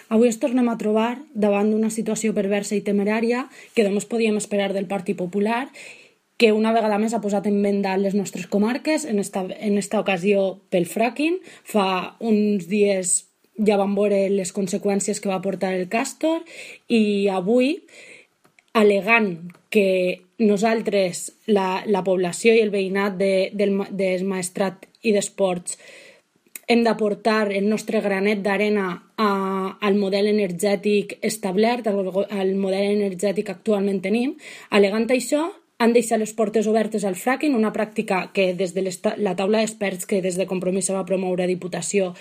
Avui ens tornem a trobar davant d'una situació perversa i temerària que només podíem esperar del Partit Popular, que una vegada més ha posat en venda les nostres comarques, en esta ocasió pel fracking. Fa uns dies ja vam veure les conseqüències que va portar el Castor i avui, alegant que nosaltres, la població i el veïnat del Maestrat i d'Esports, hem d'aportar el nostre granet d'arena al model energètic establert, al model energètic que actualment tenim, alegant això, han deixat les portes obertes al fracking, una pràctica que des de la taula d'experts que des de Compromís se va promoure a Diputació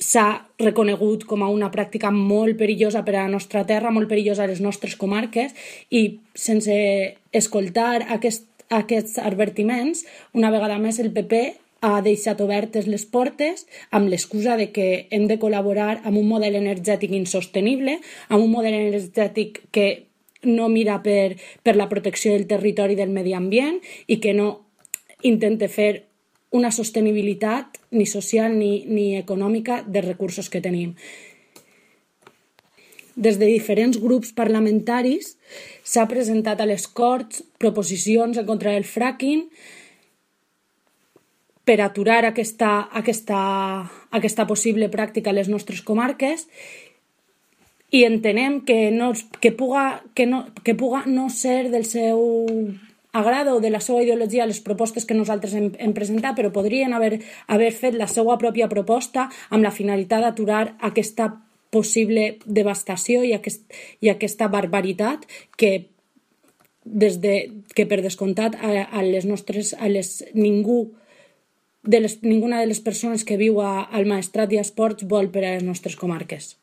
s'ha reconegut com a una pràctica molt perillosa per a la nostra terra, molt perillosa a les nostres comarques, i sense escoltar aquests advertiments, una vegada més el PP ha deixat obertes les portes amb l'excusa de que hem de col·laborar amb un model energètic insostenible, amb un model energètic que no mira per la protecció del territori i del medi ambient i que no intenta fer una sostenibilitat ni social ni econòmica dels recursos que tenim. Des de diferents grups parlamentaris s'ha presentat a les Corts proposicions en contra del fracking per aturar aquesta possible pràctica a les nostres comarques, i entenem que puga no ser del seu agrada o de la seva ideologia les propostes que nosaltres hem presentat, però podrien haver fet la seva pròpia proposta amb la finalitat d'aturar aquesta possible devastació i aquesta barbaritat que per descomptat ninguna de les persones que viu al Maestrat i a Esports vol per a les nostres comarques.